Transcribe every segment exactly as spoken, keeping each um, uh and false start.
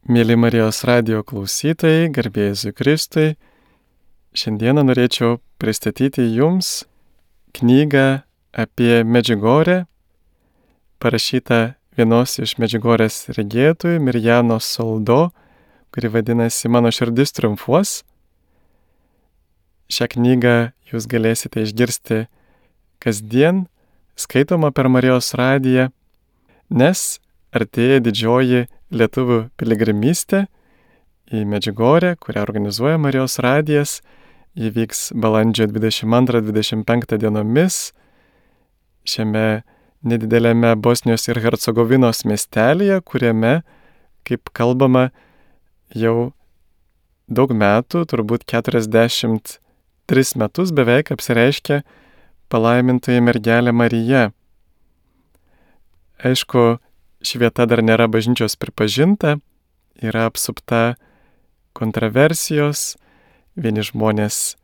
Mėly Marijos radijo klausytojai, garbė Jėzui Kristui, šiandieną norėčiau pristatyti Jums knygą apie Medžiugorję, parašytą vienos iš Medžiugorės regėtojų, Mirjanos Soldo, kuri vadinasi Mano širdis triumfuos. Šią knygą Jūs galėsite išgirsti kasdien, skaitoma per Marijos radiją, nes artėja didžioji lietuvių piligrimystė į Medžiugorję, kurią organizuoja Marijos radijas. Ji vyks balandžio dvidešimt antrą dvidešimt penktą dienomis šiame nedideliame Bosnijos ir Hercegovinos miestelyje, kuriame, kaip kalbama, jau daug metų, turbūt keturiasdešimt tris metus beveik apsireiškia palaimintoji mergelė Marija. Aišku, ši vieta dar nėra bažnyčios pripažinta, yra apsupta kontroversijos, vieni žmonės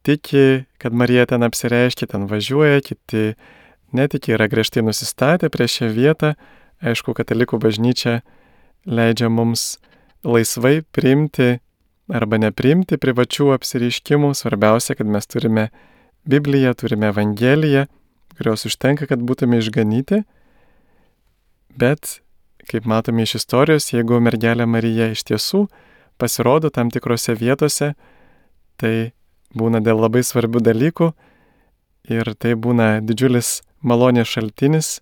tiki, kad Marija ten apsireiškia, ten važiuoja, kiti netiki, yra griežtai nusistatę prieš šią vietą. Aišku, katalikų bažnyčia leidžia mums laisvai priimti arba nepriimti privačių apsireiškimų. Svarbiausia, kad mes turime Bibliją, turime Evangeliją, kurios užtenka, kad būtume išganyti. Bet, kaip matome iš istorijos, jeigu mergelė Marija iš tiesų pasirodo tam tikrose vietose, tai būna dėl labai svarbių dalykų ir tai būna didžiulis malonės šaltinis.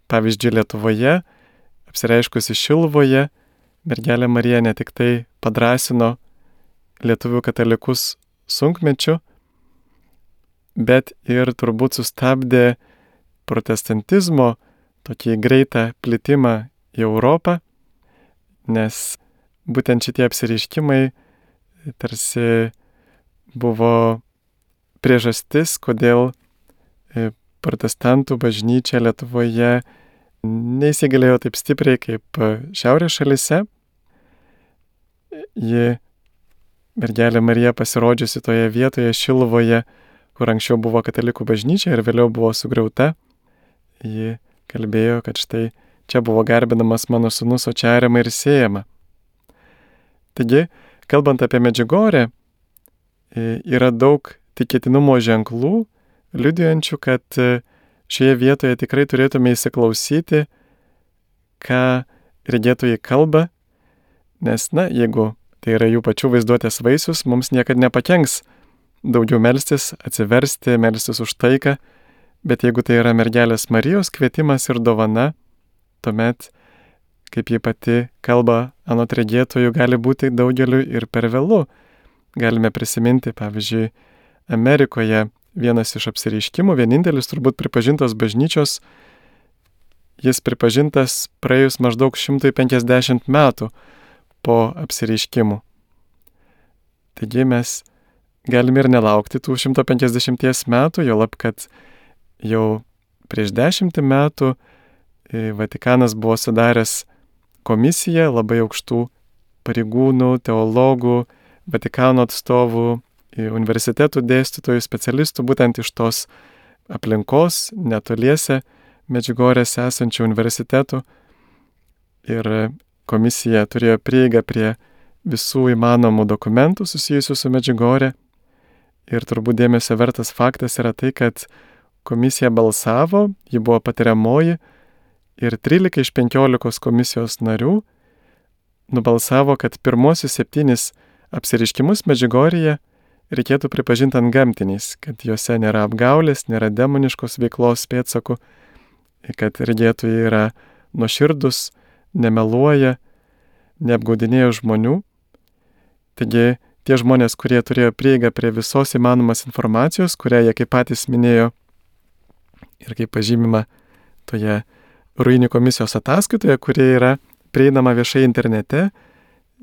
Pavyzdžiui, Lietuvoje, apsireiškusi Šiluvoje, mergelė Marija ne tik tai padrąsino lietuvių katalikus sunkmečiu, bet ir turbūt sustabdė protestantizmo tokį greitą plitimą į Europą, nes būtent šitie apsireiškimai tarsi buvo priežastis, kodėl protestantų bažnyčia Lietuvoje neįsigalėjo taip stipriai kaip šiaurės šalyse. Ji, mergelė Marija, pasirodžiusi toje vietoje Šiluvoje, kur anksčiau buvo katalikų bažnyčia ir vėliau buvo sugriauta, ji kalbėjo, kad štai čia buvo garbinamas mano sūnus, o čia ariama ir sėjama. Taigi, kalbant apie Medžiugorę, yra daug tikėtinumo ženklų, liudijančių, kad šioje vietoje tikrai turėtume įsiklausyti, ką regėtojai kalba, nes, na, jeigu tai yra jų pačių vaizduotės vaisius, mums niekad nepakenks daugiau melstis, atsiversti, melstis už taiką. Bet jeigu tai yra mergelės Marijos kvietimas ir dovana, tuomet, kaip ji pati kalba anot regėtojų, gali būti daugeliu ir per vėlu. Galime prisiminti, pavyzdžiui, Amerikoje vienas iš apsireiškimų, vienintelis turbūt pripažintas bažnyčios, jis pripažintas praėjus maždaug šimtas penkiasdešimt metų po apsireiškimų. Taigi mes galime ir nelaukti tų šimto penkiasdešimties metų, juolab kad jau prieš dešimtį metų Vatikanas buvo sudaręs komisiją labai aukštų pareigūnų, teologų, Vatikano atstovų, universitetų dėstytojų, specialistų, būtent iš tos aplinkos, netoliese Medžiugorės esančių universitetų. Ir komisija turėjo prieigą prie visų įmanomų dokumentų susijusių su Medžiugorė. Ir turbūt dėmesio vertas faktas yra tai, kad komisija balsavo, ji buvo patariamoji ir trylika iš penkiolikos komisijos narių nubalsavo, kad pirmosius septynis apsireiškimus Medžiugorėje reikėtų pripažinti antgamtiniais, kad juose nėra apgaulės, nėra demoniškos veiklos pėdsakų, kad regėtojai yra nuoširdus, nemeluoja, neapgaudinėja žmonių. Taigi tie žmonės, kurie turėjo prieigą prie visos įmanomas informacijos, kurią jie kaip patys minėjo, ir kaip pažymima toje ruinių komisijos ataskaitoje, kurie yra prieinama viešai internete,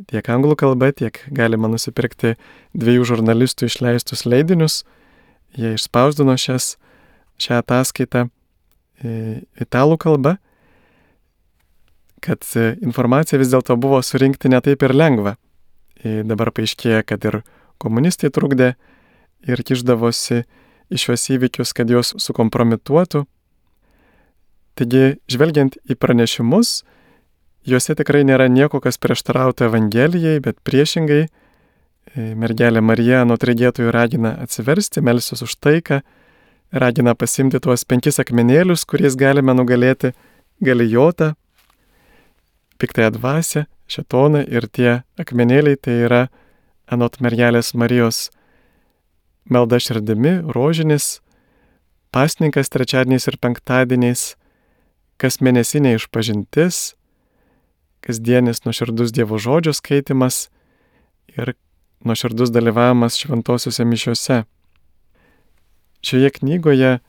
tiek anglų kalba, tiek galima nusipirkti dviejų žurnalistų išleistus leidinius. Jie išspausdino šias, šią ataskaitą italų kalba, kad informacija vis dėlto buvo surinkti ne taip ir lengva. Dabar paaiškėja, kad ir komunistai trukdė ir kišdavosi į šios įvykius, kad juos sukompromituotų. Taigi, žvelgiant į pranešimus, Juose tikrai nėra nieko, kas prieštarautų Evangelijai, bet priešingai mergelė Marija anot regėtojų ragina atsiversti, melstis už taiką, ragina pasimti tuos penkis akmenėlius, kuriais galime nugalėti Galijotą, piktąją dvasią, šėtoną, ir tie akmenėliai tai yra anot mergelės Marijos malda širdimi, rožinis, pasninkas trečiadieniais ir penktadieniais, kasmėnesinė išpažintis, kasdienis nuoširdus Dievo žodžio skaitimas ir nuoširdus dalyvavimas šventosiuose mišiuose. Šioje knygoje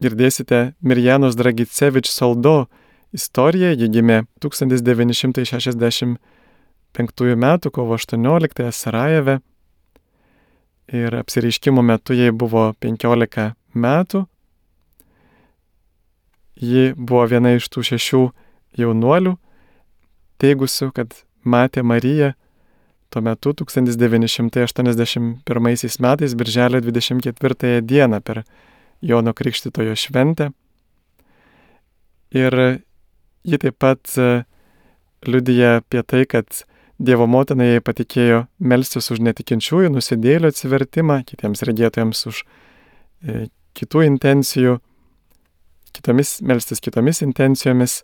girdėsite Mirjanos Dragicevič Soldo istoriją. Ji gimė tūkstantis devyni šimtai šešiasdešimt penktųjų metų kovo aštuonioliktąją Sarajeve ir apsireiškimo metu jai buvo penkiolika metų. Ji buvo viena iš tų šešių jaunuolių, teigusių, kad matė Mariją tuo metu tūkstantis devyni šimtai aštuoniasdešimt pirmaisiais metais birželio dvidešimt ketvirtąją dieną per Jono Krikštytojo šventę. Ir ji taip pat liudija apie tai, kad Dievo motina jai patikėjo melstis už netikinčiųjų nusidėjėlių atsivertimą, kitiems regėtojams už e, kitų intencijų, kitomis, melstis kitomis intencijomis.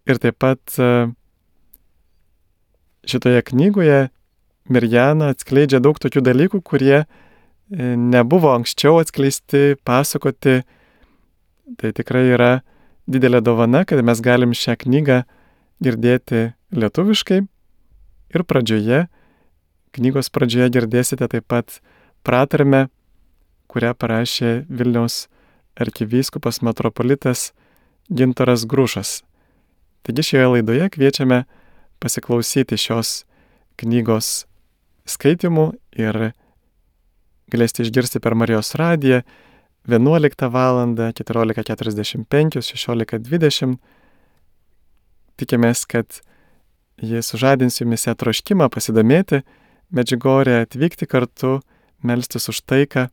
Ir taip pat šitoje knygoje Mirjana atskleidžia daug tokių dalykų, kurie nebuvo anksčiau atskleisti, pasakoti. Tai tikrai yra didelė dovana, kad mes galim šią knygą girdėti lietuviškai. Ir pradžioje, knygos pradžioje girdėsite taip pat pratarmę, kurią parašė Vilniaus arkivyskupas metropolitas Gintaras Grušas. Taigi šioje laidoje kviečiame pasiklausyti šios knygos skaitimų ir galėsite išgirsti per Marijos radiją vienuoliktą valandą, keturiolika keturiasdešimt penki, šešiolika dvidešimt. Tikimės, kad jis sužadins jumise troškimą pasidomėti Medžiugorje, atvykti kartu, melstis už taiką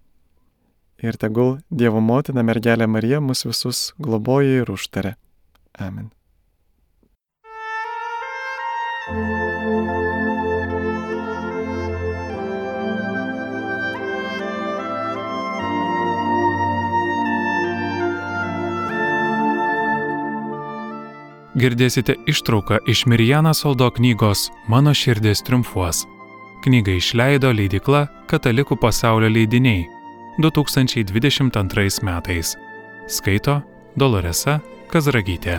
ir tegul Dievo motina mergelė Marija mus visus globoja ir užtaria. Amen. Girdėsite ištrauką iš Mirjanos Soldo knygos Mano širdis triumfuos. Knygą išleido leidykla Katalikų pasaulio leidiniai du tūkstančiai dvidešimt antrais metais. Skaito Doloresa Kazragytė.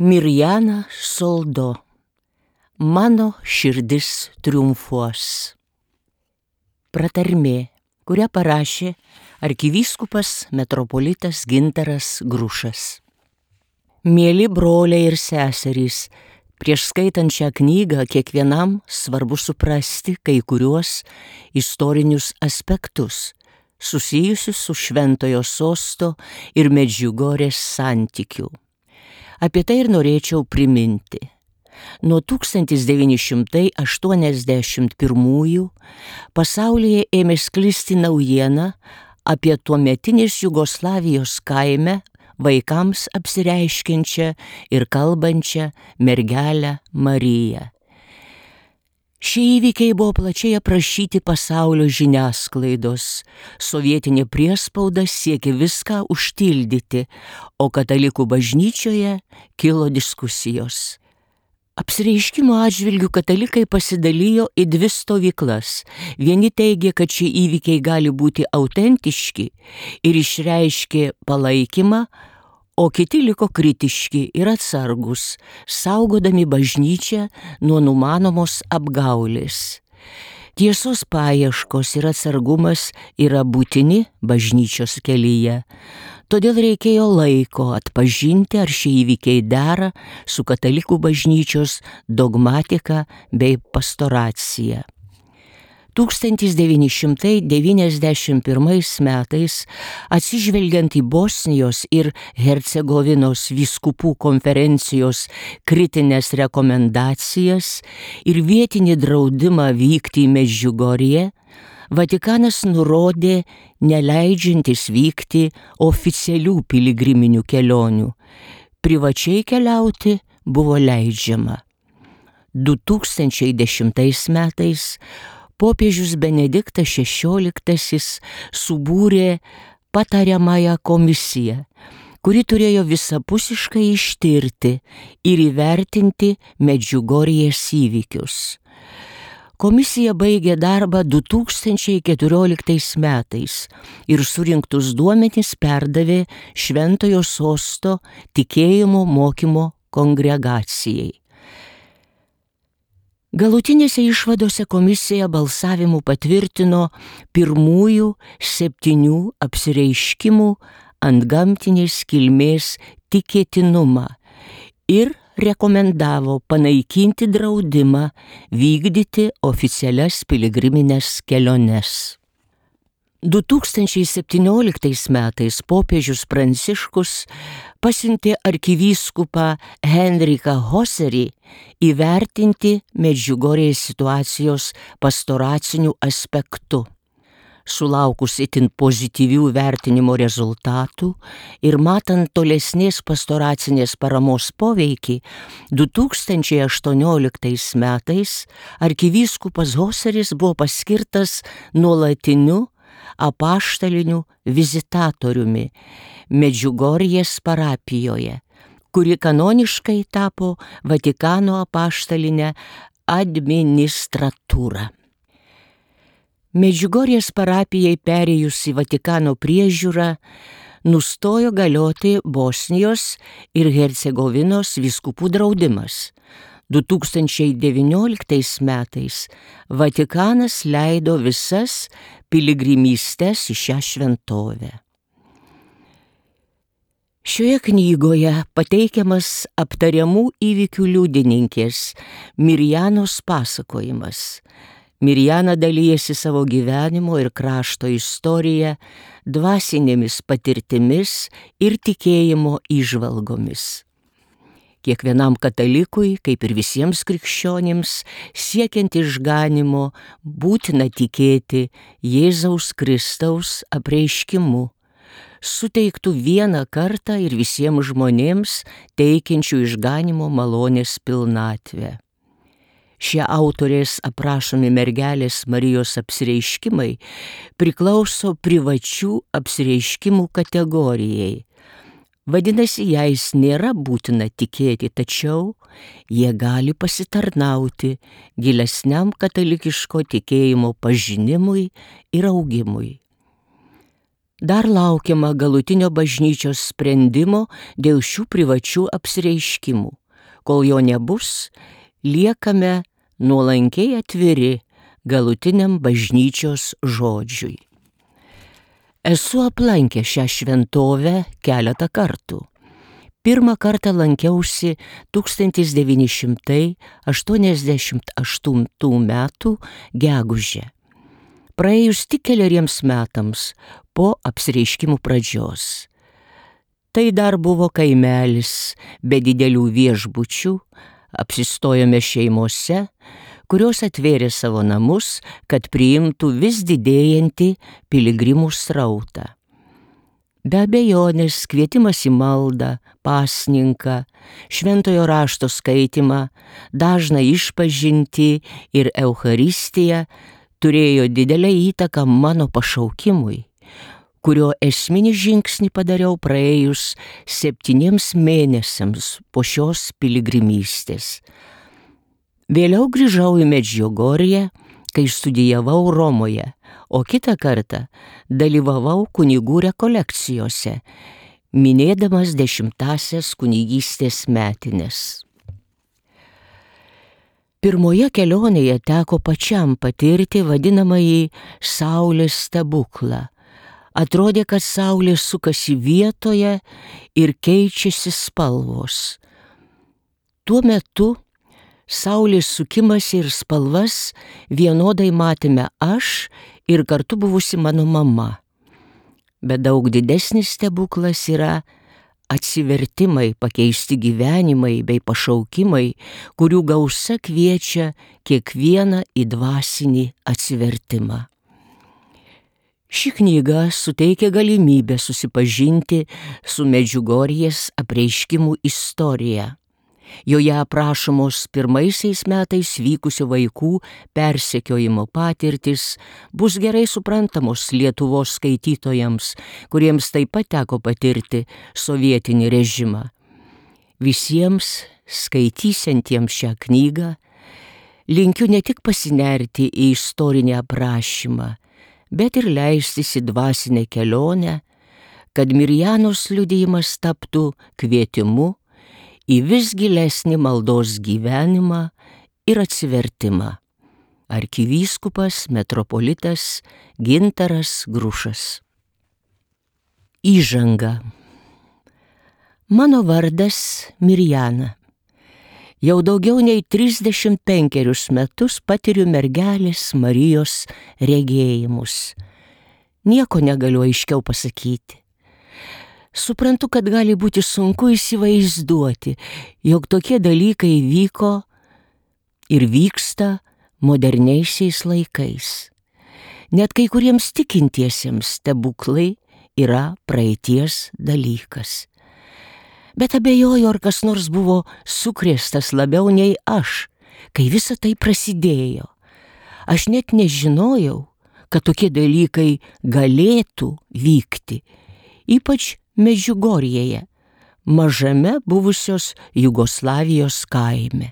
Mirjana Soldo. Mano širdis triumfuos. Pratarmė, kurią parašė arkivyskupas metropolitas Gintaras Grušas. Mieli broliai ir seserys, prieš skaitant šią knygą kiekvienam svarbu suprasti kai kuriuos istorinius aspektus susijusius su Šventojo Sosto ir Medžiugorės santykių. Apie tai ir norėčiau priminti. Nuo tūkstantis devyni šimtai aštuoniasdešimt pirmųjų pasaulyje ėmė sklisti naujiena apie tuometinės Jugoslavijos kaime vaikams apsireiškiančią ir kalbančią mergelę Mariją. Šie įvykiai buvo plačiai aprašyti pasaulio žiniasklaidos. Sovietinė priespauda siekė viską užtildyti, o katalikų bažnyčioje kilo diskusijos. Apsireiškimo atžvilgiu katalikai pasidalijo į dvi stovyklas. Vieni teigė, kad šie įvykiai gali būti autentiški ir išreiškė palaikymą, o kiti liko kritiški ir atsargus, saugodami bažnyčią nuo numanomos apgaulės. Tiesos paieškos ir atsargumas yra būtini bažnyčios kelyje. Todėl reikėjo laiko atpažinti, ar šie įvykiai dera su katalikų bažnyčios dogmatika bei pastoracija. tūkstantis devyni šimtai devyniasdešimt pirmais metais, atsižvelgiant į Bosnijos ir Hercegovinos vyskupų konferencijos kritinės rekomendacijas ir vietinį draudimą vykti į Medžiugorję, Vatikanas nurodė neleidžiantis vykti oficialių piligriminių kelionių. Privačiai keliauti buvo leidžiama. du tūkstančiai dešimtais metais popiežius Benediktas šešioliktasis subūrė patariamąją komisiją, kuri turėjo visapusiškai ištirti ir įvertinti Medžiugorjės įvykius. Komisija baigė darbą du tūkstančiai keturioliktais metais ir surinktus duomenis perdavė Šventojo Sosto tikėjimo mokymo kongregacijai. Galutinėse išvadose komisija balsavimu patvirtino pirmųjų septynių apsireiškimų antgamtinės kilmės tikėtinumą ir rekomendavo panaikinti draudimą vykdyti oficialias piligriminės keliones. du tūkstančiai septynioliktais metais popiežius Pranciškus pasiuntė arkivyskupą Henriką Hoserį įvertinti Medžiugorjės situacijos pastoraciniu aspektu. Sulaukus itin pozityvių vertinimo rezultatų ir matant tolesnės pastoracinės paramos poveikį, du tūkstančiai aštuonioliktais metais arkivyskupas Hoseris buvo paskirtas nuolatiniu apaštaliniu vizitatoriumi Medžiugorjės parapijoje, kuri kanoniškai tapo Vatikano apaštalinę administratūrą. Medžiugorjės parapijai perėjus į Vatikano priežiūrą nustojo galioti Bosnijos ir Hercegovinos vyskupų draudimas. du tūkstančiai devynioliktais metais Vatikanas leido visas piligrimystes į šią šventovę. Šioje knygoje pateikiamas aptariamų įvykių liudininkės Mirjanos pasakojimas. Mirjana dalyjasi savo gyvenimo ir krašto istoriją, dvasinėmis patirtimis ir tikėjimo įžvalgomis. Kiekvienam katalikui, kaip ir visiems krikščionims, siekiant išganymo, būtina tikėti Jėzaus Kristaus apreiškimu, suteiktų vieną kartą ir visiems žmonėms teikiančių išganymo malonės pilnatvę. Šie autorės aprašomi mergelės Marijos apsireiškimai priklauso privačių apsireiškimų kategorijai. Vadinasi, jais nėra būtina tikėti, tačiau jie gali pasitarnauti gilesniam katalikiško tikėjimo pažinimui ir augimui. Dar laukiama galutinio bažnyčios sprendimo dėl šių privačių apsireiškimų. Kol jo nebus, liekame nuolankiai atviri galutiniam bažnyčios žodžiui. Esu aplankęs šią šventovę keletą kartų. Pirmą kartą lankiausi tūkstantis devyni šimtai aštuoniasdešimt aštuntų metų gegužę. Praėjus tik keleriems metams po apsireiškimų pradžios. Tai dar buvo kaimelis be didelių viešbučių, apsistojome šeimose, kurios atvėrė savo namus, kad priimtų vis didėjantį piligrimų srautą. Be abejonės kvietimas į maldą, pasninką, šventojo rašto skaitimą, dažną išpažintį ir Eucharistiją turėjo didelę įtaką mano pašaukimui, kurio esminį žingsnį padariau praėjus septyniems mėnesiams po šios piligrimystės. Vėliau grįžau į Medžiugorję, kai studijavau Romoje, o kitą kartą dalyvavau kunigų rekolekcijose, minėdamas dešimtąsias kunigystės metines. Pirmoje kelionėje teko pačiam patirti vadinamąjį saulės stebuklą. Atrodė, kad saulė sukasi vietoje ir keičiasi spalvos. Tuo metu Saulės sukimasi ir spalvas vienodai matėme aš ir kartu buvusi mano mama. Bet daug didesnis stebuklas yra atsivertimai, pakeisti gyvenimai bei pašaukimai, kurių gausa kviečia kiekvieną į dvasinį atsivertimą. Ši knyga suteikia galimybę susipažinti su Medžiugorjės apreiškimų istorija. Joje aprašomos pirmaisiais metais vykusio vaikų persekiojimo patirtis, bus gerai suprantamos Lietuvos skaitytojams, kuriems taip pat teko patirti sovietinį režimą. Visiems skaitysiantiems šią knygą linkiu ne tik pasinerti į istorinį aprašymą, bet ir leistis į dvasinę kelionę, kad Mirjanos liudijimas taptų kvietimu į vis gilesnį maldos gyvenimą ir atsivertimą. Arkivyskupas metropolitas Gintaras Grušas. Įžanga. Mano vardas Mirjana. Jau daugiau nei trisdešimt penkerius metus patiriu mergelės Marijos regėjimus. Nieko negaliu aiškiau pasakyti. Suprantu, kad gali būti sunku įsivaizduoti, jog tokie dalykai vyko ir vyksta moderniaisiais laikais. Net kai kuriems tikintiesiems stebuklai yra praeities dalykas. Bet abejoju, ar kas nors buvo sukrėstas labiau nei aš, kai visa tai prasidėjo. Aš net nežinojau, kad tokie dalykai galėtų vykti, ypač Medžiugorjėje, mažame buvusios Jugoslavijos kaime.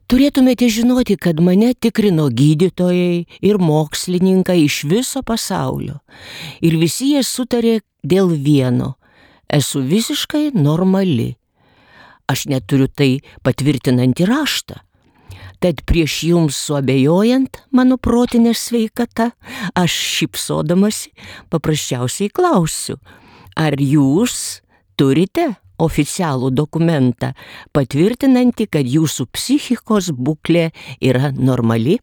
Turėtumėte žinoti, kad mane tikrino gydytojai ir mokslininkai iš viso pasaulio. Ir visi jie sutarė dėl vieno – esu visiškai normali. Aš neturiu tai patvirtinantį raštą. Tad prieš jums suabejojant mano protinę sveikatą, aš šypsodamasi paprasčiausiai klausiu, ar jūs turite oficialų dokumentą patvirtinantį, kad jūsų psichikos būklė yra normali?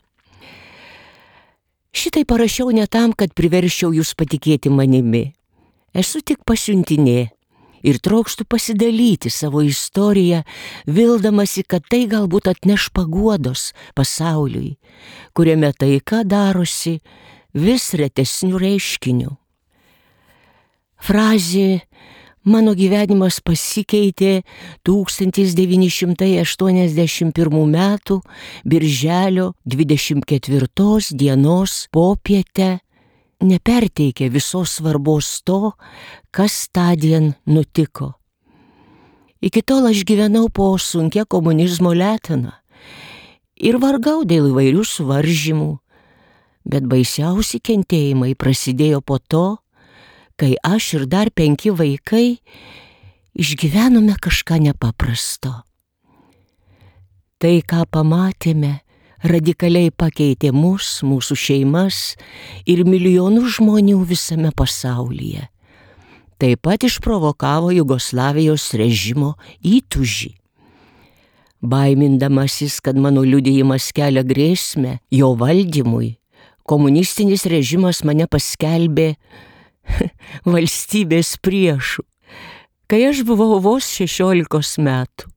Šitai parašiau ne tam, kad priverščiau jūs patikėti manimi. Esu tik pasiuntinė ir trokštų pasidalyti savo istoriją, vildamasi, kad tai galbūt atneš paguodos pasauliui, kuriame taika darosi vis retesnių reiškinių. Frazė "mano gyvenimas pasikeitė" tūkstantis devyni šimtai aštuoniasdešimt pirmų metų birželio dvidešimt ketvirtos dienos popietę neperteikia visos svarbos to, kas tądien nutiko. Iki tol aš gyvenau po sunkia komunizmo letena ir vargau dėl įvairių suvaržymų, bet baisiausi kentėjimai prasidėjo po to, kai aš ir dar penki vaikai išgyvenome kažką nepaprasto. Tai, ką pamatėme, radikaliai pakeitė mus, mūsų šeimas ir milijonų žmonių visame pasaulyje. Taip pat išprovokavo Jugoslavijos režimo įtūžį. Baimindamasis, kad mano liudijimas kelia grėsmę jo valdymui, komunistinis režimas mane paskelbė valstybės priešu, kai aš buvau vos šešiolikos metų.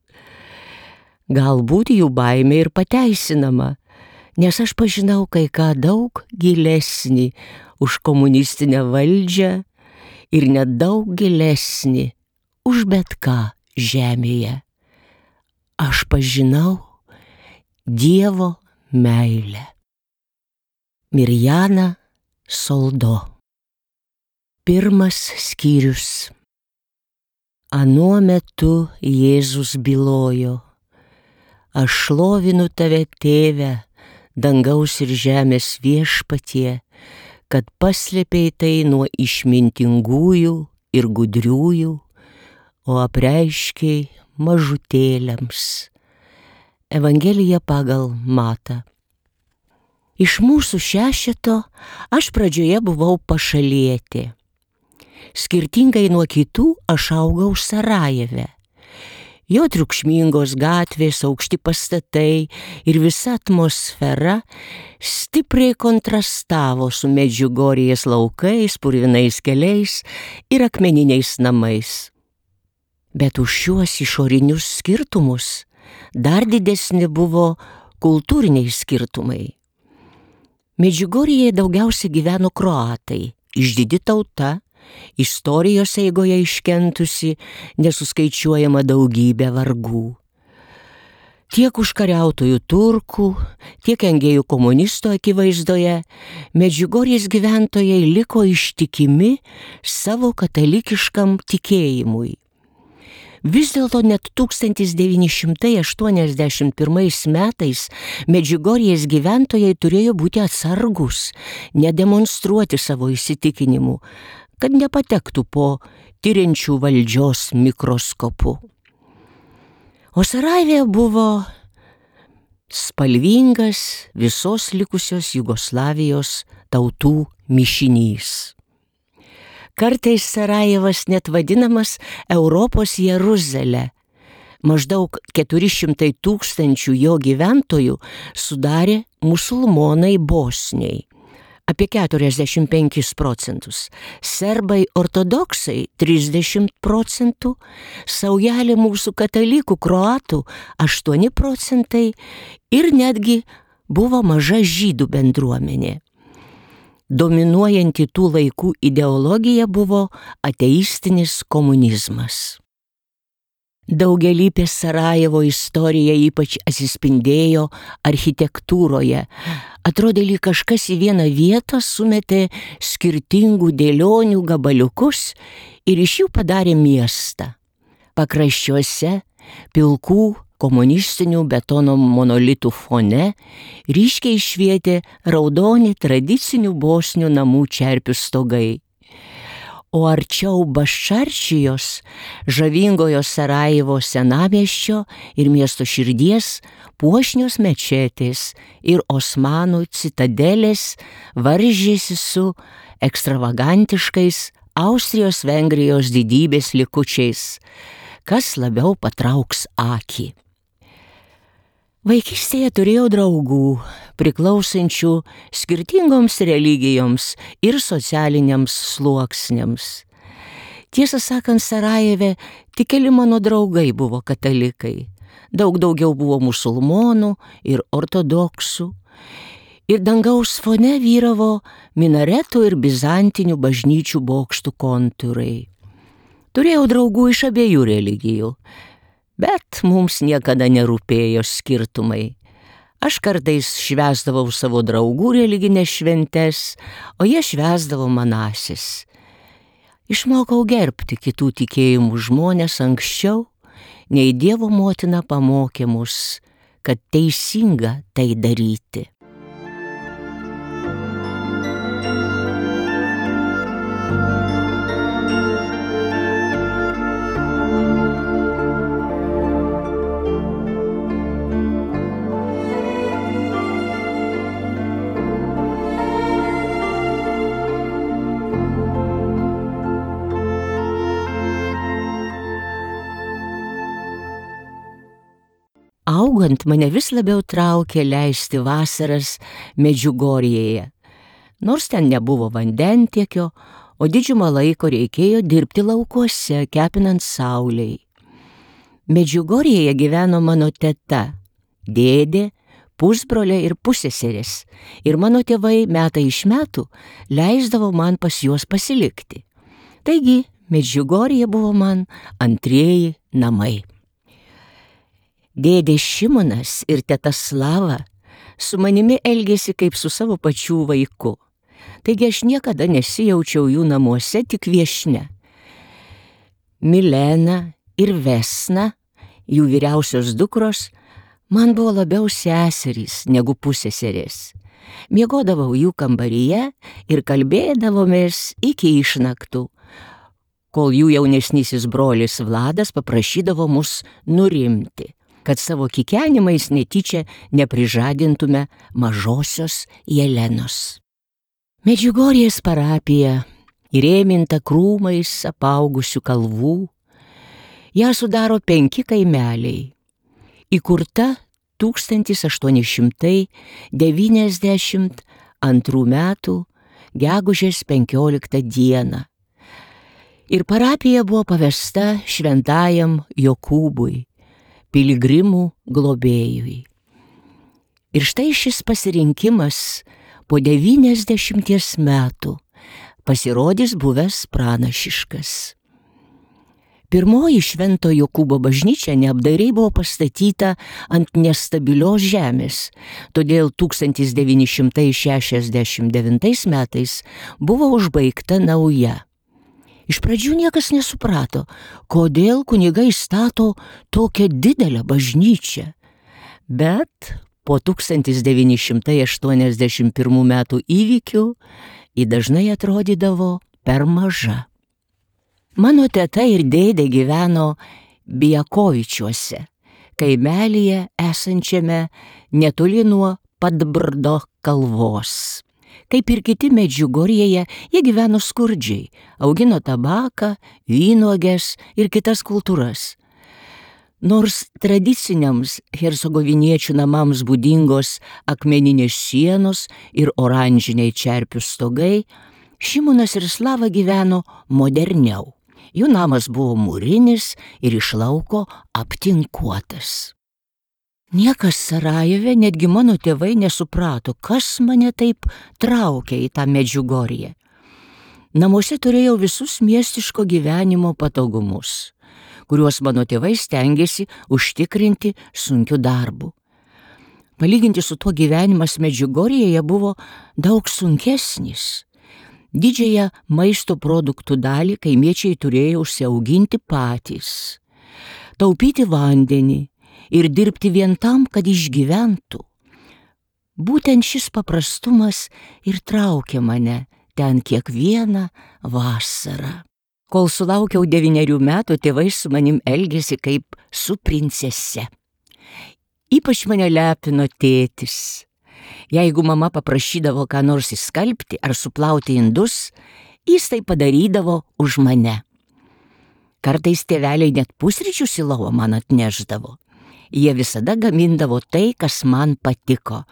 Galbūt jų baimė ir pateisinama, nes aš pažinau kai ką daug gilesnį už komunistinę valdžią ir net daug gilesnį už bet ką žemėje. Aš pažinau Dievo meilę. Mirjana Soldo. Pirmas skyrius. Anuo metu Jėzus bylojo: aš šlovinu tave, Tėve, dangaus ir žemės viešpatie, kad paslėpei tai nuo išmintingųjų ir gudriųjų, o apreiškei mažutėliams. Evangelija pagal Matą. Iš mūsų šešeto aš pradžioje buvau pašalietė. Skirtingai nuo kitų aš augau Sarajeve. Jo triukšmingos gatvės, aukšti pastatai ir visa atmosfera stipriai kontrastavo su Medžiugorjės laukais, purvinais keliais ir akmeniniais namais. Bet už šiuos išorinius skirtumus dar didesni buvo kultūriniai skirtumai. Medžiugorjėje daugiausiai gyveno kroatai, išdidi tauta, istorijos eigoje iškentusi nesuskaičiuojama daugybė vargų. Tiek užkariautojų turkų, tiek engėjų komunistų akivaizdoje Medžiugorjės gyventojai liko ištikimi savo katalikiškam tikėjimui. Vis dėlto net tūkstantis devyni šimtai aštuoniasdešimt pirmais metais Medžiugorjės gyventojai turėjo būti atsargus, nedemonstruoti savo įsitikinimų, kad nepatektų po tyriančių valdžios mikroskopu. O Sarajeve buvo spalvingas visos likusios Jugoslavijos tautų mišinys. Kartais Sarajevas net vadinamas Europos Jeruzalė. Maždaug keturi šimtai tūkstančių jo gyventojų sudarė musulmonai bosniai, apie keturiasdešimt penkis procentus, serbai ortodoksai trisdešimt procentų, saujelė mūsų katalikų kroatų aštuoni procentai ir netgi buvo maža žydų bendruomenė. Dominuojanti tų laikų ideologija buvo ateistinis komunizmas. Daugialypė Sarajevo istorija ypač atsispindėjo architektūroje. Atrodė, lyg kažkas į vieną vietą sumetė skirtingų dėlionių gabaliukus ir iš jų padarė miestą. Pakraščiuose pilkų komunistinių betono monolitų fone ryškiai švietė raudoni tradicinių bosnių namų čerpių stogai. O arčiau Baščarčijos, žavingojo Sarajevo senamiesčio ir miesto širdies, puošnios mečetės ir Osmanų citadelės varžėsi su ekstravagantiškais Austrijos-Vengrijos didybės likučiais, kas labiau patrauks akį. Vaikystėje turėjau draugų, priklausančių skirtingoms religijoms ir socialiniams sluoksniams. Tiesą sakant, Sarajeve tik keli mano draugai buvo katalikai. Daug daugiau buvo musulmonų ir ortodoksų. Ir dangaus fone vyravo minaretų ir bizantinių bažnyčių bokštų kontūrai. Turėjau draugų iš abiejų religijų. Bet mums niekada nerūpėjo skirtumai. Aš kartais švęsdavau savo draugų religinės šventes, o jie švęsdavo manasis. Išmokau gerbti kitų tikėjimų žmonės anksčiau, nei Dievo motina pamokė mus, kad teisinga tai daryti. Augant mane vis labiau traukė leisti vasaras Medžiugorjėje. Nors ten nebuvo vandentiekio, o didžiumą laiko reikėjo dirbti laukuose, kepinant saulei. Medžiugorjėje gyveno mano teta, dėdė, pusbrolė ir pusseserės, ir mano tėvai metai iš metų leisdavo man pas juos pasilikti. Taigi, Medžiugorjė buvo man antrieji namai. Dėdė Šimonas ir teta Slava su manimi elgėsi kaip su savo pačių vaiku. Taigi aš niekada nesijaučiau jų namuose tik viešne. Milena ir Vesna, jų vyriausios dukros, man buvo labiau seserys negu pusseserės. Miegodavau jų kambaryje ir kalbėdavomės iki išnaktų, kol jų jaunesnysis brolis Vladas paprašydavo mus nurimti, kad savo kikenimais netyčia neprižadintume mažosios Jelenos. Medžiugorjės parapija, įrėminta krūmais apaugusių kalvų, Ją sudaro penki kaimeliai. Įkurta tūkstantis aštuoni šimtai devyniasdešimt antrų metų gegužės penkioliktą dieną. Ir parapija buvo pavesta šventajam Jokūbui, piligrimų globėjui. Ir štai šis pasirinkimas po devyniasdešimties metų pasirodys buvęs pranašiškas. Pirmoji Švento Jokūbo bažnyčia neapdairiai buvo pastatyta ant nestabilios žemės, todėl tūkstantis devyni šimtai šešiasdešimt devintais metais buvo užbaigta nauja. Iš pradžių niekas nesuprato, kodėl kunigai stato tokią didelę bažnyčią, bet po tūkstantis devyni šimtai aštuoniasdešimt pirmų metų įvykių ji dažnai atrodydavo per maža. Mano teta ir dėdė gyveno Bijakovičiuose, kaimelyje esančiame netoli nuo Padbrdo kalvos. Kaip ir kiti Medžiugorjėje, jie gyveno skurdžiai, augino tabaką, vynuoges ir kitas kultūras. Nors tradiciniams hercegoviniečių namams būdingos akmeninės sienos ir oranžiniai čerpių stogai, Šimonas ir Slava gyveno moderniau. Jų namas buvo mūrinis ir iš lauko aptinkuotas. Niekas Sarajeve, netgi mano tėvai, nesuprato, kas mane taip traukia į tą Medžiugorję. Namuose turėjau visus miestiško gyvenimo patogumus, kuriuos mano tėvai stengėsi užtikrinti sunkiu darbu. Palyginti su tuo gyvenimas Medžiugorjėje buvo daug sunkesnis. Didžiąją maisto produktų dalį kaimiečiai turėjo užsiauginti patys, taupyti vandenį ir dirbti vien tam, kad išgyventų. Būtent šis paprastumas ir traukė mane ten kiekvieną vasarą. Kol sulaukiau devynerių metų, tėvai su manim elgėsi kaip su princese. Ypač mane lepino tėtis. Jeigu mama paprašydavo ką nors įskalbti ar suplauti indus, jis tai padarydavo už mane. Kartais tėveliai net pusryčius į lovą man atnešdavo. Jie visada gamindavo tai, kas man patiko,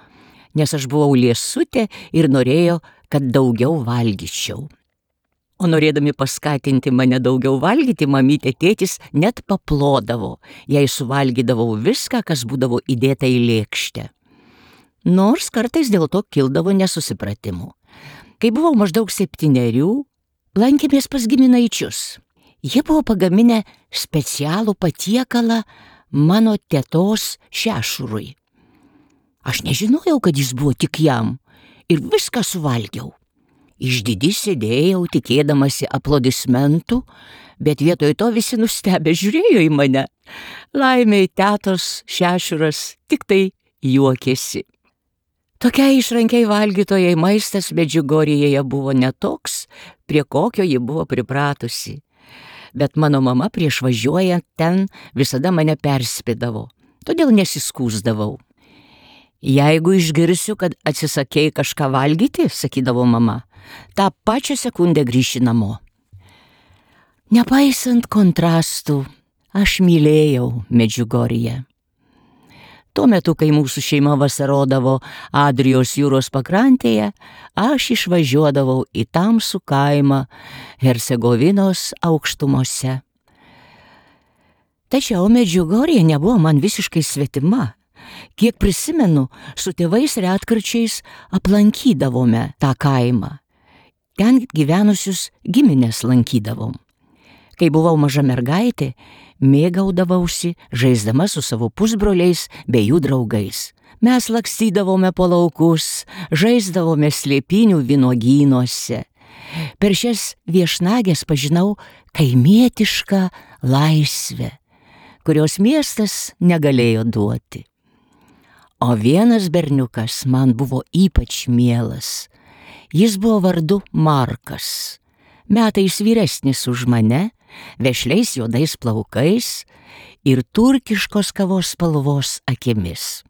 nes aš buvau liesutė ir norėjo, kad daugiau valgyčiau. O norėdami paskatinti mane daugiau valgyti, mamytė tėtis net paplodavo, jei suvalgydavau viską, kas būdavo įdėta į lėkštę. Nors kartais dėl to kildavo nesusipratimų. Kai buvau maždaug septynerių, lankėmės pas giminaičius. Jie buvo pagaminę specialų patiekalą mano tetos šešurui. Aš nežinojau, kad jis buvo tik jam, ir viską suvalgiau. Išdidi sėdėjau, tikėdamasi aplodismentų, bet vietoj to visi nustebę žiūrėjo į mane. Laimei tetos šešuras tik tai juokėsi. Tokiai išrankiai valgytojai maistas Medžiugorjėje buvo netoks, prie kokio ji buvo pripratusi. Bet mano mama prieš važiuojant ten visada mane perspėdavo, todėl nesiskųsdavau. Jeigu išgirsiu, kad atsisakei kažką valgyti, sakydavo mama, tą pačią sekundę grįši namo. Nepaisant kontrastų, aš mylėjau Medžiugorję. Tuo metu, kai mūsų šeima vasarodavo Adrijos jūros pakrantėje, aš išvažiuodavau į tamsų kaimą Hercegovinos aukštumose. Tačiau Medžiugorjė nebuvo man visiškai svetima. Kiek prisimenu, su tėvais retkarčiais aplankydavome tą kaimą. Ten gyvenusius giminės lankydavom. Kai buvau maža mergaitė, mėgaudavausi žaisdama su savo pusbroliais bei jų draugais. Mes lakstydavome po laukus, žaisdavome slėpinių vynuogynuose. Per šias viešnagės pažinau kaimietišką laisvę, kurios miestas negalėjo duoti. O vienas berniukas man buvo ypač mielas. Jis buvo vardu Markas, metais vyresnis už mane, vešliais juodais plaukais ir turkiškos kavos spalvos akimis.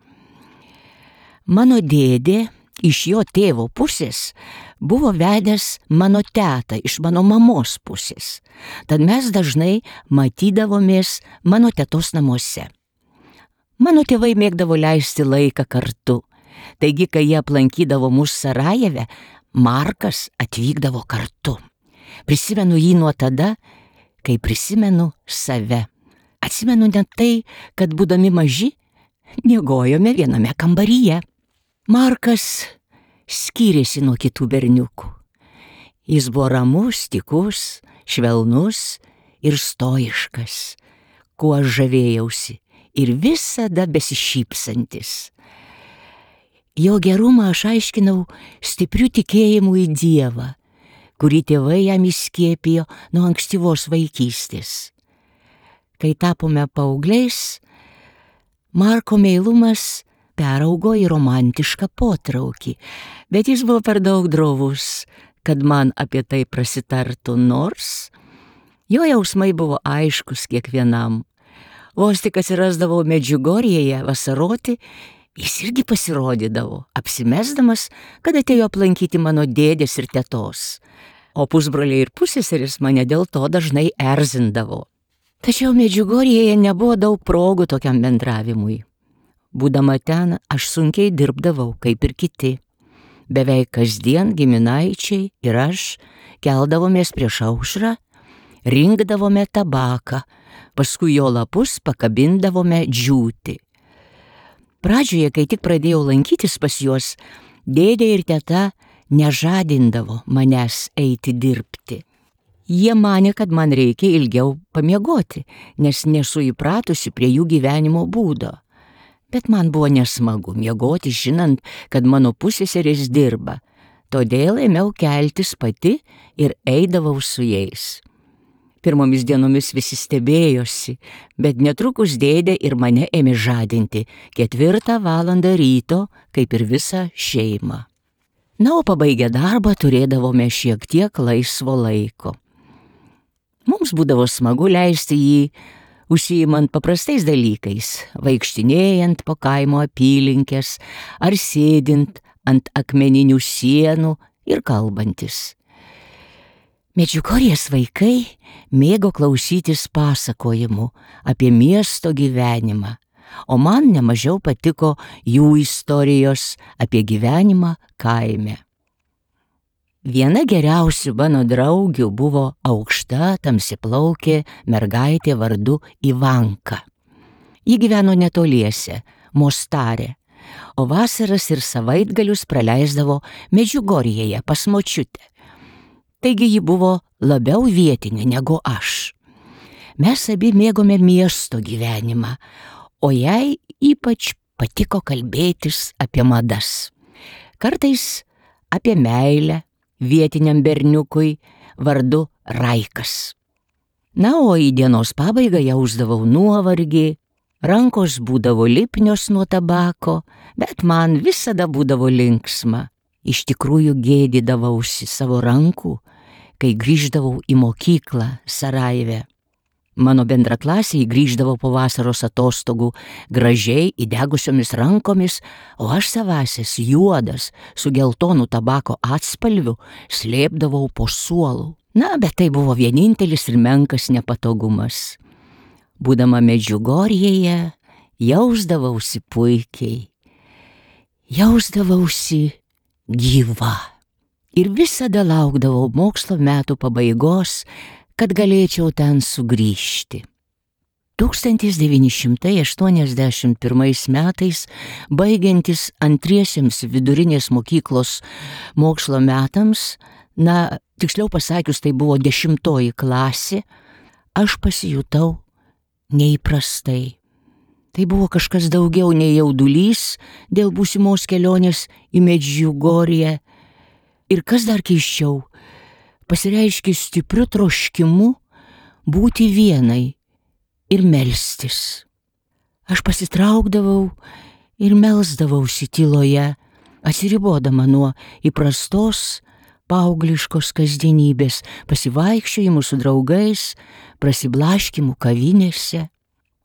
Mano dėdė iš jo tėvo pusės buvo vedęs mano tetą iš mano mamos pusės. Tad mes dažnai matydavomės mano tetos namuose. Mano tėvai mėgdavo leisti laiką kartu. Taigi, kai jie aplankydavo mus Sarajeve, Markas atvykdavo kartu. Prisimenu jį nuo tada, kai prisimenu save. Atsimenu net tai, kad būdami maži, miegojome viename kambaryje. Markas skyrėsi nuo kitų berniukų. Jis buvo ramus, tykus, švelnus ir stoiškas, kuo žavėjausi ir visada besišypsantis. Jo gerumą aš aiškinau stipriu tikėjimu į Dievą, kurį tėvai jam įskiepijo nuo ankstyvos vaikystės. Kai tapome paaugliais, Marko meilumas peraugo į romantišką potraukį, bet jis buvo per daug drovus, kad man apie tai prasitartų, nors jo jausmai buvo aiškus kiekvienam. Vos tik atsirasdavau Medžiugorjėje vasaroti, jis irgi pasirodydavo, apsimesdamas, kad atėjo aplankyti mano dėdės ir tetos, o pusbroliai ir pusseserės mane dėl to dažnai erzindavo. Tačiau Medžiugorjėje nebuvo daug progų tokiam bendravimui. Būdama ten, aš sunkiai dirbdavau, kaip ir kiti. Beveik kasdien giminaičiai ir aš keldavomės prieš aušrą, rinkdavome tabaką, paskui jo lapus pakabindavome džiūti. Pradžioje, kai tik pradėjau lankytis pas juos, dėdė ir teta nežadindavo manęs eiti dirbti. Jie manė, kad man reikia ilgiau pamiegoti, nes nesu įpratusi prie jų gyvenimo būdo. Bet man buvo nesmagu miegoti, žinant, kad mano pusseserės dirba. Todėl ėmiau keltis pati ir eidavau su jais. Pirmomis dienomis visi stebėjosi, bet netrukus dėdė ir mane ėmė žadinti ketvirtą valandą ryto, kaip ir visą šeimą. Na, o pabaigę darbą turėdavome šiek tiek laisvo laiko. Mums būdavo smagu leisti jį užsiimant paprastais dalykais, vaikštinėjant po kaimo apylinkės ar sėdint ant akmeninių sienų ir kalbantis. Medžiugorjės vaikai mėgo klausytis pasakojimų apie miesto gyvenimą, o man nemažiau patiko jų istorijos apie gyvenimą kaime. Viena geriausių mano draugių buvo aukšta, tamsiplaukė mergaitė vardu Ivanka. Ji gyveno netoliese, Mostare, o vasaras ir savaitgalius praleisdavo Medžiugorjėje pas močiutę. Taigi ji buvo labiau vietinė negu aš. Mes abi mėgome miesto gyvenimą, o jai ypač patiko kalbėtis apie madas. Kartais apie meilę vietiniam berniukui vardu Raikas. Na, o į dienos pabaigą jausdavau nuovargį, rankos būdavo lipnios nuo tabako, bet man visada būdavo linksma. Iš tikrųjų gėdydavausi savo rankų, kai grįždavau į mokyklą Sarajeve. Mano bendraklasiai grįždavo po vasaros atostogų gražiai įdegusiomis rankomis, o aš savąsias juodas su geltonu tabako atspalviu slėpdavau po suolu. Na, bet tai buvo vienintelis ir menkas nepatogumas. Būdama Medžiugorjėje, jausdavausi puikiai. Jausdavausi gyva. Ir visada laukdavau mokslo metų pabaigos, kad galėčiau ten sugrįžti. tūkstantis devyni šimtai aštuoniasdešimt pirmais metais, baigiantis antriesiems vidurinės mokyklos mokslo metams, na, tiksliau pasakius, tai buvo dešimtoji klasė, aš pasijutau neįprastai. Tai buvo kažkas daugiau nei jaudulys dėl būsimos kelionės į Medžiugorję. Ir kas dar keisčiau, pasireiškė stipriu troškimu būti vienai ir melstis. Aš pasitraukdavau ir melsdavausi tyloje, atsiribodama nuo įprastos paaugliškos kasdienybės, pasivaikščiojimų su draugais, prasiblaškimų kavinėse.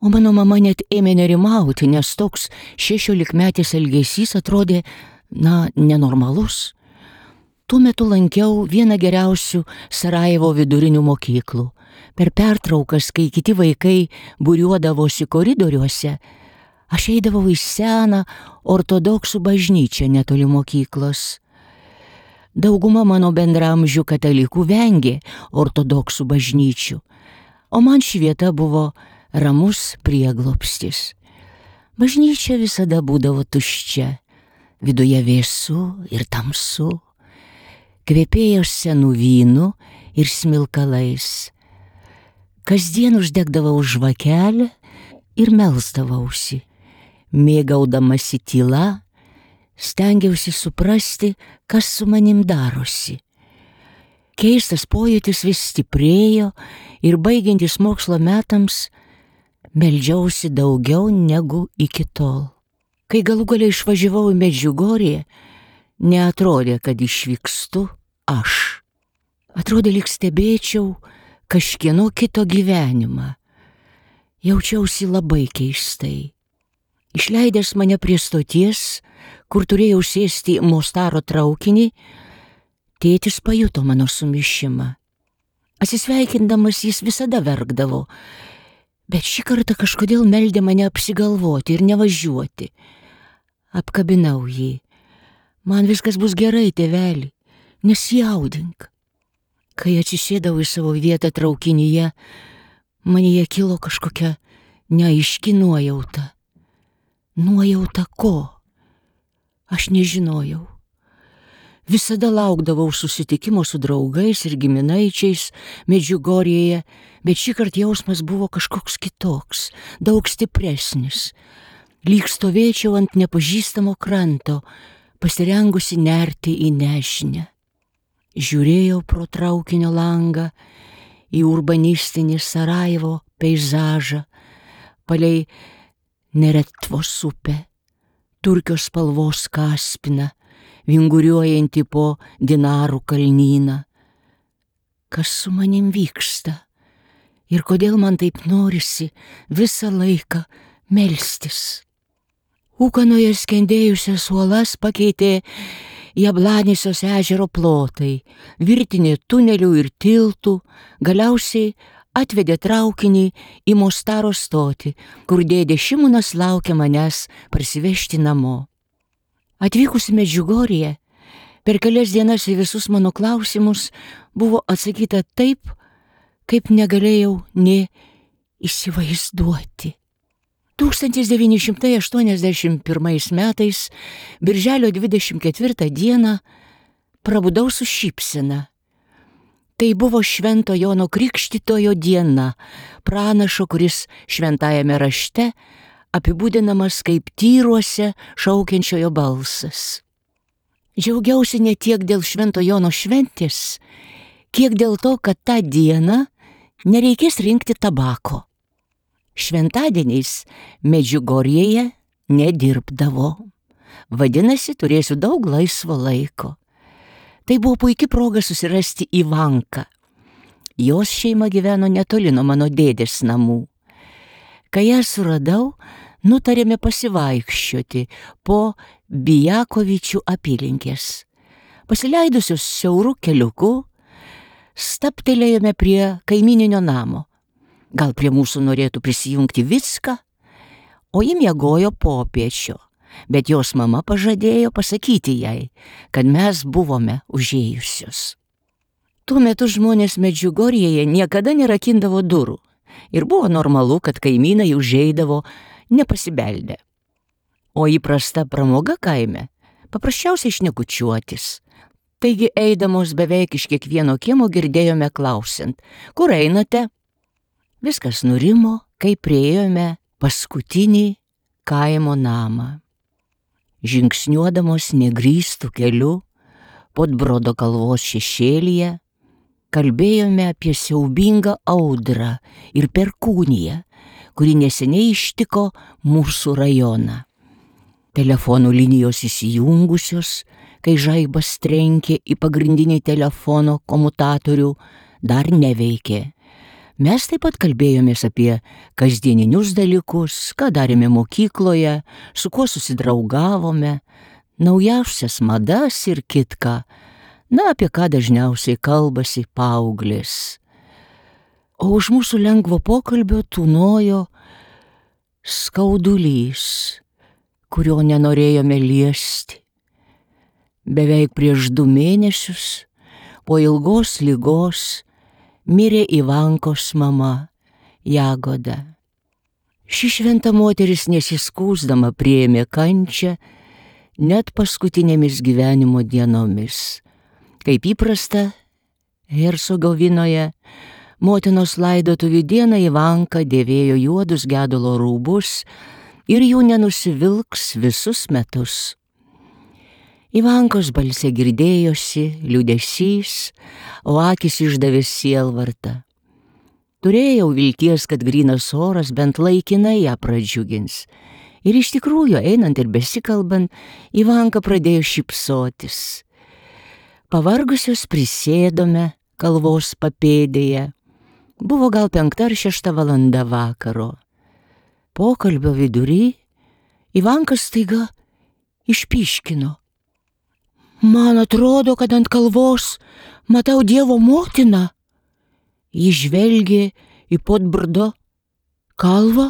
O mano mama net ėmė nerimauti, nes toks šešiolikmetis elgesys atrodė na, nenormalus. Tuo metu lankiau vieną geriausių Sarajevo vidurinių mokyklų. Per pertraukas, kai kiti vaikai būriuodavosi koridoriuose, aš eidavau į seną ortodoksų bažnyčią netoli mokyklos. Dauguma mano bendramžių katalikų vengė ortodoksų bažnyčių, o man ši vieta buvo ramus prieglobstis. Bažnyčia visada būdavo tuščia, viduje vėsu ir tamsu, kvepėjo senų vynų ir smilkalais. Kasdien uždegdavau žvakelę ir melsdavausi. Mėgaudamasi tyla, stengiausi suprasti, kas su manim darosi. Keistas pojūtis vis stiprėjo ir baigiantis mokslo metams meldžiausi daugiau negu iki tol. Kai galų galiai išvažiavau į Medžiugorję, neatrodė, kad išvykstu aš. Atrodė, lyg stebėčiau kažkieno kito gyvenimą. Jaučiausi labai keistai. Išleidęs mane prie stoties, kur turėjau sėsti Mostaro traukinį, tėtis pajuto mano sumišimą. Atsisveikindamas jis visada verkdavo, bet šį kartą kažkodėl meldė mane apsigalvoti ir nevažiuoti. Apkabinau jį. Man viskas bus gerai, tėveli, nesijaudink. Kai atsisėdau į savo vietą traukinyje, manyje kilo kažkokia neaiški nuojauta. Nuojauta ko? Aš nežinojau. Visada laukdavau susitikimo su draugais ir giminaičiais Medžiugorjėje, bet šįkart jausmas buvo kažkoks kitoks, daug stipresnis. Lyg stovėčiau ant nepažįstamo kranto, pasirengusi nerti į nežinią. Žiūrėjau pro traukinio langą į urbanistinį Sarajevo peizažą, palei Neretvos upę, turkios spalvos Kaspiną, vinguriuojantį po dinarų kalnyną. Kas su manim vyksta ir kodėl man taip norisi visą laiką melstis? Ūkanoje skendėjusias uolas pakeitė Jablanėsios ežero plotai, virtinė tunelių ir tiltų, galiausiai atvedė traukinį į Mostaro stotį, kur dėdė Šimonas laukia manęs parsivežti namo. Atvykusi Medžiugorję, per kelias dienas į visus mano klausimus buvo atsakyta taip, kaip negalėjau nė įsivaizduoti. tūkstantis devyni šimtai aštuoniasdešimt pirmais metais, birželio dvidešimt ketvirtą dieną, prabudau su šypsena. Tai buvo Švento Jono Krikštytojo diena, pranašo, kuris šventajame rašte apibūdinamas kaip tyruose šaukiančiojo balsas. Džiaugiausi ne tiek dėl Švento Jono šventės, kiek dėl to, kad tą dieną nereikės rinkti tabako. Šventadieniais Medžiugorjėje nedirbdavo. Vadinasi, turėsiu daug laisvo laiko. Tai buvo puikia proga susirasti Ivanką. Jos šeima gyveno netoli nuo mano dėdės namų. Kai ją suradau, nutarėme pasivaikščioti po Bijakovičių apylinkės. Pasileidusios siaurų keliukų, staptelėjome prie kaimyninio namo. Gal prie mūsų norėtų prisijungti Vicka, o ji miegojo popiečio, bet jos mama pažadėjo pasakyti jai, kad mes buvome užėjusios. Tuo metu žmonės Medžiugorjėje niekada nerakindavo durų ir buvo normalu, kad kaimynai užeidavo nepasibeldę. O įprasta pramoga kaime paprasčiausiai šnekučiuotis. Taigi eidamos beveik iš kiekvieno kiemo girdėjome klausiant, kur einate? Viskas nurimo, kai priėjome paskutinį kaimo namą. Žingsniuodamos negrįstų keliu, Podbrodo kalvos šešėlyje, kalbėjome apie siaubingą audrą ir perkūniją, kuri neseniai ištiko mūsų rajoną. Telefonų linijos įsijungusios, kai žaibas trenkė į pagrindinį telefono komutatorių, dar neveikė. Mes taip pat kalbėjomės apie kasdieninius dalykus, ką darėme mokykloje, su kuo susidraugavome, naujausias madas ir kitką, na, apie ką dažniausiai kalbasi paauglės. O už mūsų lengvo pokalbio tūnojo skaudulys, kurio nenorėjome liesti. Beveik prieš du mėnesius, po ilgos ligos, mirė Ivankos mama Jagoda. Ši šventa moteris nesiskųsdama priėmė kančią net paskutinėmis gyvenimo dienomis. Kaip įprasta, Hercegovinoje motinos laidotuvių dieną Ivanka dėvėjo juodus gedulo rūbus ir jų nenusivilks visus metus. Ivankos balse girdėjosi liūdesys, o akis išdavė sielvartą. Turėjau vilties, kad grynas oras bent laikinai ją pradžiugins. Ir iš tikrųjų, einant ir besikalbant, Ivanka pradėjo šypsotis. Pavargusios prisėdome kalvos papėdėje. Buvo gal penkta ar šešta valanda vakaro. Pokalbio vidury Ivanka staiga išpyškino. Man atrodo, kad ant kalvos matau Dievo motiną. Ji žvelgė į Podbrdo kalvą,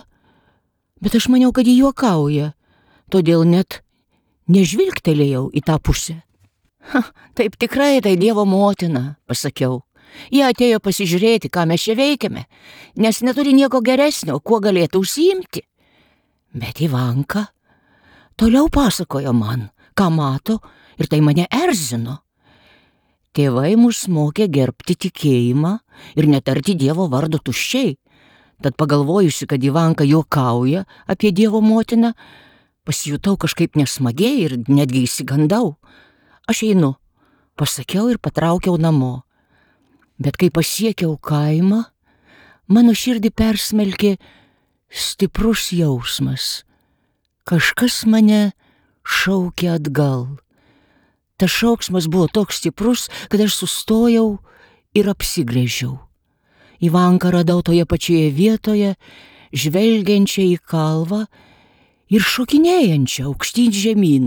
bet aš maniau, kad ji juokauja, todėl net nežvilgtelėjau į tą pusę. Ha, taip tikrai tai Dievo motina, pasakiau. Jie atėjo pasižiūrėti, ką mes čia veikiame, nes neturi nieko geresnio, kuo galėtų užsiimti. Bet Ivanka toliau pasakojo man, ką mato, ir tai mane erzino. Tėvai mus mokė gerbti tikėjimą ir netarti Dievo vardo tuščiai. Tad pagalvojusi, kad Ivanka juokauja apie Dievo motiną, pasijutau kažkaip nesmagiai ir netgi įsigandau. Aš einu, pasakiau ir patraukiau namo. Bet kai pasiekiau kaimą, mano širdį persmelkė stiprus jausmas. Kažkas mane šaukė atgal. Tas šauksmas buvo toks stiprus, kad aš sustojau ir apsigręžiau. Ivanką radau toje pačioje vietoje, žvelgiančią į kalvą ir šokinėjančią aukštyn žemyn.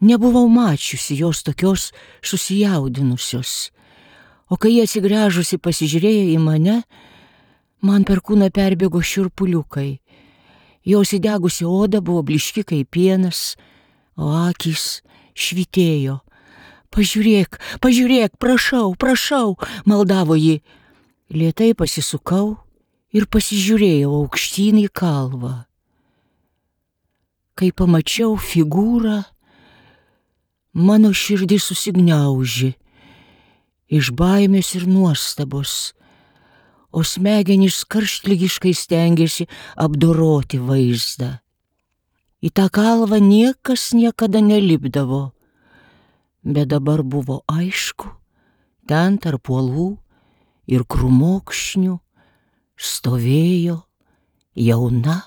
Nebuvau mačiusi jos tokios susijaudinusios, o kai jie atsigręžusi pasižiūrėjo į mane, man per kūną perbėgo šiurpuliukai. Jos įdegusi oda buvo blyški kaip pienas, o akys švytėjo. Pažiūrėk, pažiūrėk, prašau, prašau, maldavo ji. Lėtai pasisukau ir pasižiūrėjau aukštyn į kalvą. Kai pamačiau figūrą, mano širdis susigniaužė iš baimės ir nuostabos, o smegenys karštligiškai stengėsi apdoroti vaizdą. Į tą kalvą niekas niekada nelipdavo, bet dabar buvo aišku, ten tarp uolų ir krūmokšnių stovėjo jauna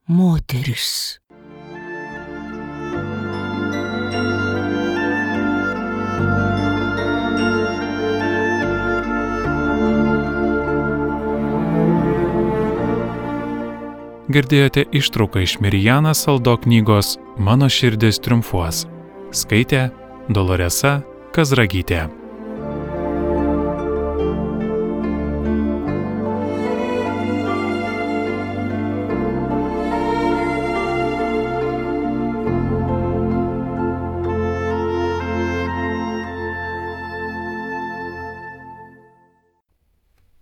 moteris. Girdėjote ištrauką iš Mirjana Saldo knygos Mano širdis triumfuos. Skaitė Doloresa Kazragytė.